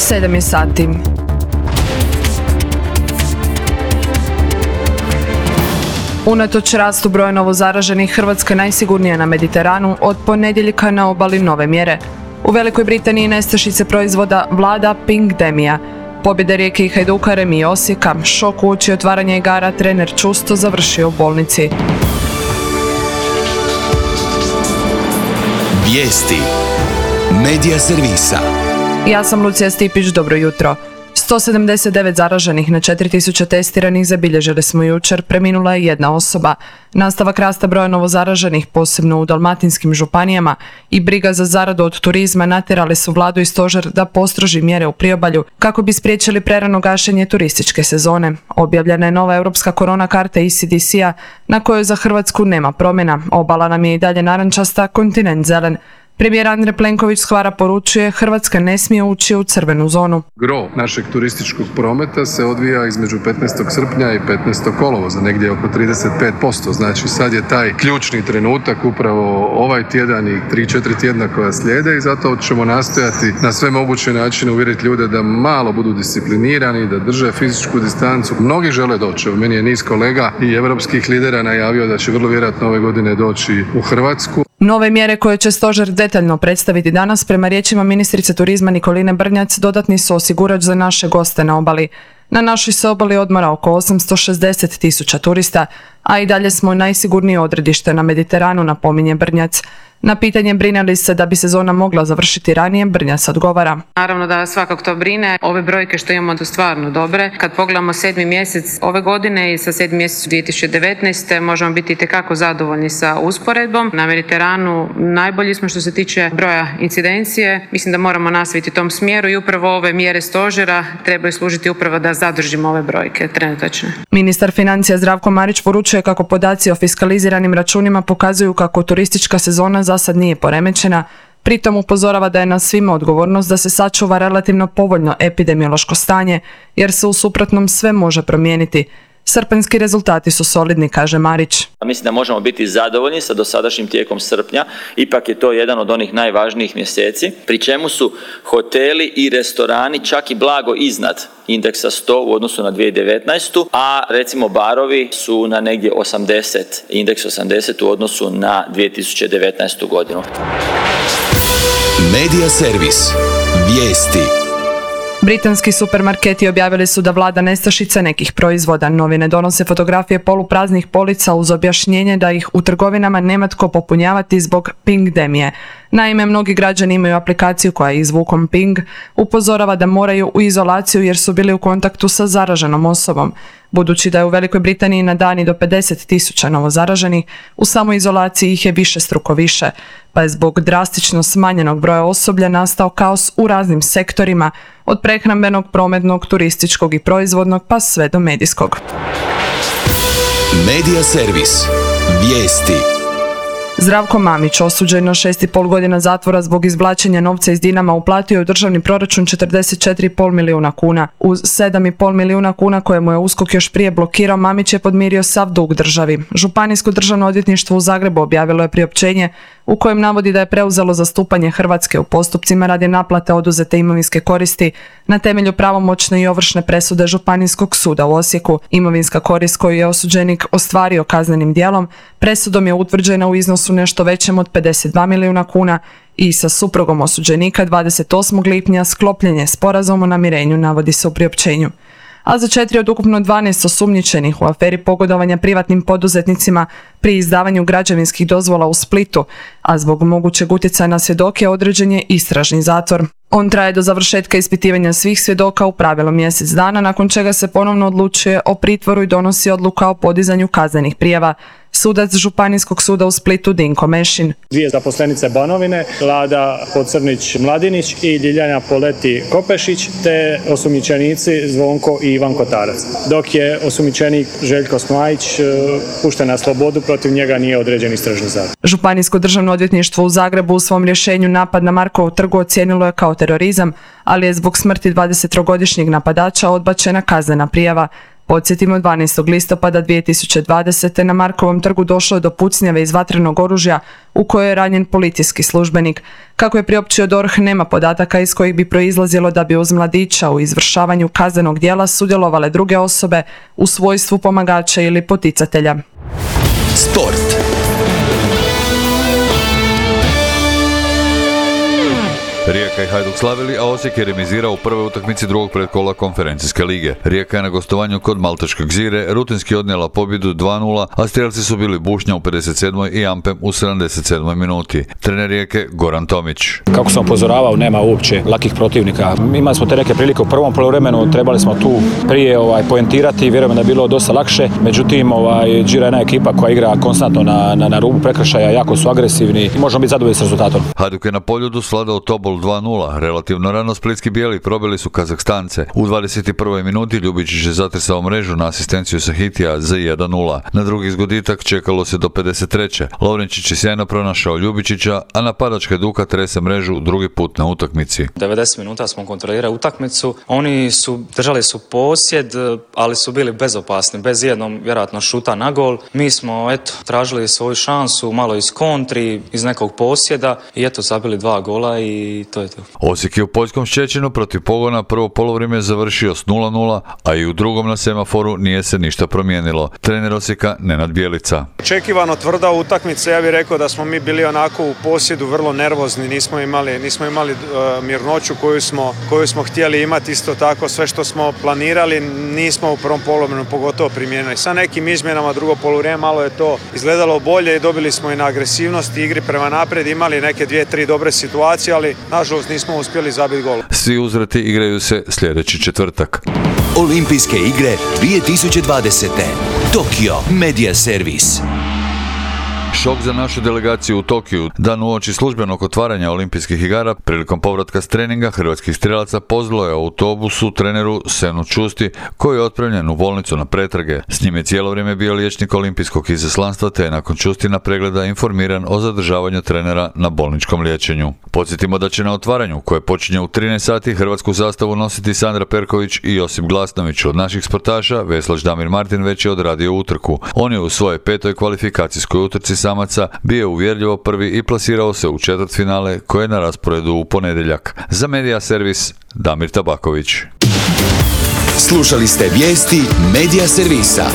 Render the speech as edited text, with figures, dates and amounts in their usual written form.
7 je sati. Unatoč rastu broja novozaraženih, Hrvatska je najsigurnija na Mediteranu, od ponedjeljka na obali nove mjere. U Velikoj Britaniji nestašice proizvoda vlada pingdemija. Pobjede Rijeke i Hajduka, remi i Osijeka, šok uoči otvaranja igara, trener Čusto završio u bolnici. Vijesti Medija servisa. Ja sam Lucija Stipić, dobro jutro. 179 zaraženih na 4000 testiranih zabilježili smo jučer, preminula je jedna osoba. Nastavak rasta broja novozaraženih, posebno u dalmatinskim županijama, i briga za zaradu od turizma natjerali su vladu i stožer da postroži mjere u priobalju kako bi spriječili prerano gašenje turističke sezone. Objavljena je nova europska korona karta ECDC-a na kojoj za Hrvatsku nema promjena. Obala nam je i dalje narančasta, kontinent zelen. Premijer Andrej Plenković s Hvara poručuje, Hrvatska ne smije ući u crvenu zonu. Gro našeg turističkog prometa se odvija između 15. srpnja i 15. kolovoza, negdje oko 35%. Znači sad je taj ključni trenutak, upravo ovaj tjedan i 3-4 tjedna koja slijede, i zato ćemo nastojati na sve moguće načine uvjeriti ljude da malo budu disciplinirani, da drže fizičku distancu. Mnogi žele doći. Meni je niz kolega i europskih lidera najavio da će vrlo vjerojatno ove godine doći u Hrvatsku. Nove mjere koje će stožer detaljno predstaviti danas, prema riječima ministrice turizma Nikoline Brnjac, dodatni su osigurač za naše goste na obali. Na našoj se obali odmora oko 860.000 turista, a i dalje smo najsigurnije odredište na Mediteranu, napominje Brnjac. Na pitanje brine li se da bi sezona mogla završiti ranije, Brnjac odgovara. Naravno da svakako to brine. Ove brojke što imamo su stvarno dobre. Kad pogledamo 7. mjesec ove godine i sa 7. mjesec 2019. možemo biti itekako zadovoljni sa usporedbom. Na Mediteranu najbolji smo što se tiče broja incidencije. Mislim da moramo nastaviti tom smjeru i upravo ove mjere stožera trebaju služiti upravo da zadržimo ove brojke trenutačne. Ministar financija Zdravko Marić poručuje kako podaci o fiskaliziranim računima pokazuju kako turistička sezona za sad nije poremećena, pritom upozorava da je na svima odgovornost da se sačuva relativno povoljno epidemiološko stanje, jer se u suprotnom sve može promijeniti. Srpanjski rezultati su solidni, kaže Marić. Mislim da možemo biti zadovoljni sa dosadašnjim tijekom srpnja, ipak je to jedan od onih najvažnijih mjeseci, pri čemu su hoteli i restorani čak i blago iznad indeksa 100 u odnosu na 2019. A recimo barovi su na negdje 80, indeks 80 u odnosu na 2019. godinu. Medija servis. Vijesti. Britanski supermarketi objavili su da vlada nestašica nekih proizvoda. Novine donose fotografije polupraznih polica uz objašnjenje da ih u trgovinama nema tko popunjavati zbog pingdemije. Naime, mnogi građani imaju aplikaciju koja je izvukom ping, upozorava da moraju u izolaciju jer su bili u kontaktu sa zaraženom osobom. Budući da je u Velikoj Britaniji na dan i do 50.000 novozaraženih, u samoizolaciji ih je višestruko više, pa je zbog drastično smanjenog broja osoblja nastao kaos u raznim sektorima, od prehrambenog, prometnog, turističkog i proizvodnog pa sve do medijskog. Medija servis. Vijesti. Zdravko Mamić, osuđen na 6,5 godina zatvora zbog izvlačenja novca iz Dinama, uplatio je u državni proračun 44,5 milijuna kuna. Uz 7,5 milijuna kuna koje mu je USKOK još prije blokirao, Mamić je podmirio sav dug državi. Županijsko državno odvjetništvo u Zagrebu objavilo je priopćenje u kojem navodi da je preuzelo zastupanje Hrvatske u postupcima radi naplate oduzete imovinske koristi na temelju pravomoćne i ovršne presude Županijskog suda u Osijeku. Imovinska korist koju je osuđenik ostvario kaznenim djelom presudom je utvrđena u iznosu nešto većem od 52 milijuna kuna i sa suprugom osuđenika 28. lipnja sklopljen je sporazum o namirenju, navodi se u priopćenju. A za 4 od ukupno 12 osumnjičenih u aferi pogodovanja privatnim poduzetnicima pri izdavanju građevinskih dozvola u Splitu, a zbog mogućeg utjecaja na svjedoke određen je istražni zatvor. On traje do završetka ispitivanja svih svjedoka, u pravilu mjesec dana, nakon čega se ponovno odlučuje o pritvoru i donosi odluka o podizanju kaznenih prijava. Sudac Županijskog suda u Splitu Dinko Mešin. 2 zaposlenice Banovine, Lada Pocrnić-Mladinić i Ljiljana Poleti-Kopešić, te osumnjičenici Zvonko i Ivan Kotarac. Dok je osumnjičenik Željko Smajić pušten na slobodu, protiv njega nije određen istražni zatvor. Županijsko državno odvjetništvo u Zagrebu u svom rješenju napad na Markovu trgu ocijenilo je kao terorizam, ali je zbog smrti 23-godišnjeg napadača odbačena kaznena prijava. Podsjetimo, 12. listopada 2020. na Markovom trgu došlo je do pucnjave iz vatrenog oružja u kojoj je ranjen policijski službenik. Kako je priopćio DORH, nema podataka iz kojih bi proizlazilo da bi uz mladića u izvršavanju kaznenog djela sudjelovale druge osobe u svojstvu pomagača ili poticatelja. Sport. Rijeka i Hajduk slavili, a Osijek je remizirao u prvoj utakmici drugog predkola konferencijske lige. Rijeka je na gostovanju kod malteškog Zire rutinski odnijela pobjedu 2:0, a strijelci su bili Bušnja u 57. i Ampem u 77. minuti. Trener Rijeke Goran Tomić. Kako sam upozoravao, nema uopće lakih protivnika. Imali smo te neke prilike u prvom poluvremenu, trebali smo tu prije poentirati, vjerujem da je bilo dosta lakše. Međutim, Zira je jedna ekipa koja igra konstantno na rubu prekršaja, jako su agresivni i možemo biti zadovoljni s rezultatom. Hajduk je na Poljudu svladao Tobol 2:0. Relativno rano splitski bijeli probili su Kazahstance. U 21. minuti Ljubičić je zatresao mrežu na asistenciju Sahitija za 1:0. Na drugi zgoditak čekalo se do 53. Lovrenčić je sjajno pronašao Ljubičića, a napadač Hajduka trese mrežu drugi put na utakmici. 90 minuta smo kontrolirali utakmicu. Oni su držali su posjed, ali su bili bezopasni, bez jednog vjerojatno šuta na gol. Mi smo tražili svoju šansu, malo iz kontri, iz nekog posjeda i zabili 2 gola i to je to. Osijek je u poljskom Ščećinu protiv Pogona prvo polovrijeme završio s 0:0, a i u drugom na semaforu nije se ništa promijenilo. Trener Osijeka Nenad Bjelica. Očekivano tvrda utakmica, ja bih rekao da smo mi bili onako u posjedu vrlo nervozni, nismo imali mirnoću koju smo htjeli imati, isto tako sve što smo planirali nismo u prvom poluvremenu pogotovo primijenili. Sa nekim izmjenama drugo poluvrijeme malo je to izgledalo bolje i dobili smo i na agresivnosti, igri prema naprijed, imali neke 2-3 dobre situacije, ali nažalost nismo uspjeli zabiti gol. Svi uzvrati igraju se sljedeći četvrtak. Olimpijske igre 2020. Tokio Media Servis. Šok za našu delegaciju u Tokiju. Dan uoči službenog otvaranja olimpijskih igara, prilikom povratka s treninga hrvatskih strijelaca pozvalo je autobusu treneru Senu Čusti, koji je otpremljen u bolnicu na pretrage. S njim je cijelo vrijeme bio liječnik olimpijskog izaslanstva, te je nakon Čustina pregleda informiran o zadržavanju trenera na bolničkom liječenju. Podsjetimo da će na otvaranju, koje počinje u 13 sati, hrvatsku zastavu nositi Sandra Perković i Josip Glasnović. Od naših sportaša veslač Damir Martin već je odradio utrku. On je u svojoj 5. kvalifikacijskoj utrci samaca bio uvjerljivo prvi i plasirao se u četvrtfinale koje je na rasporedu u ponedjeljak. Za Media Servis Damir Tabaković. Slušali ste vijesti Media Servisa.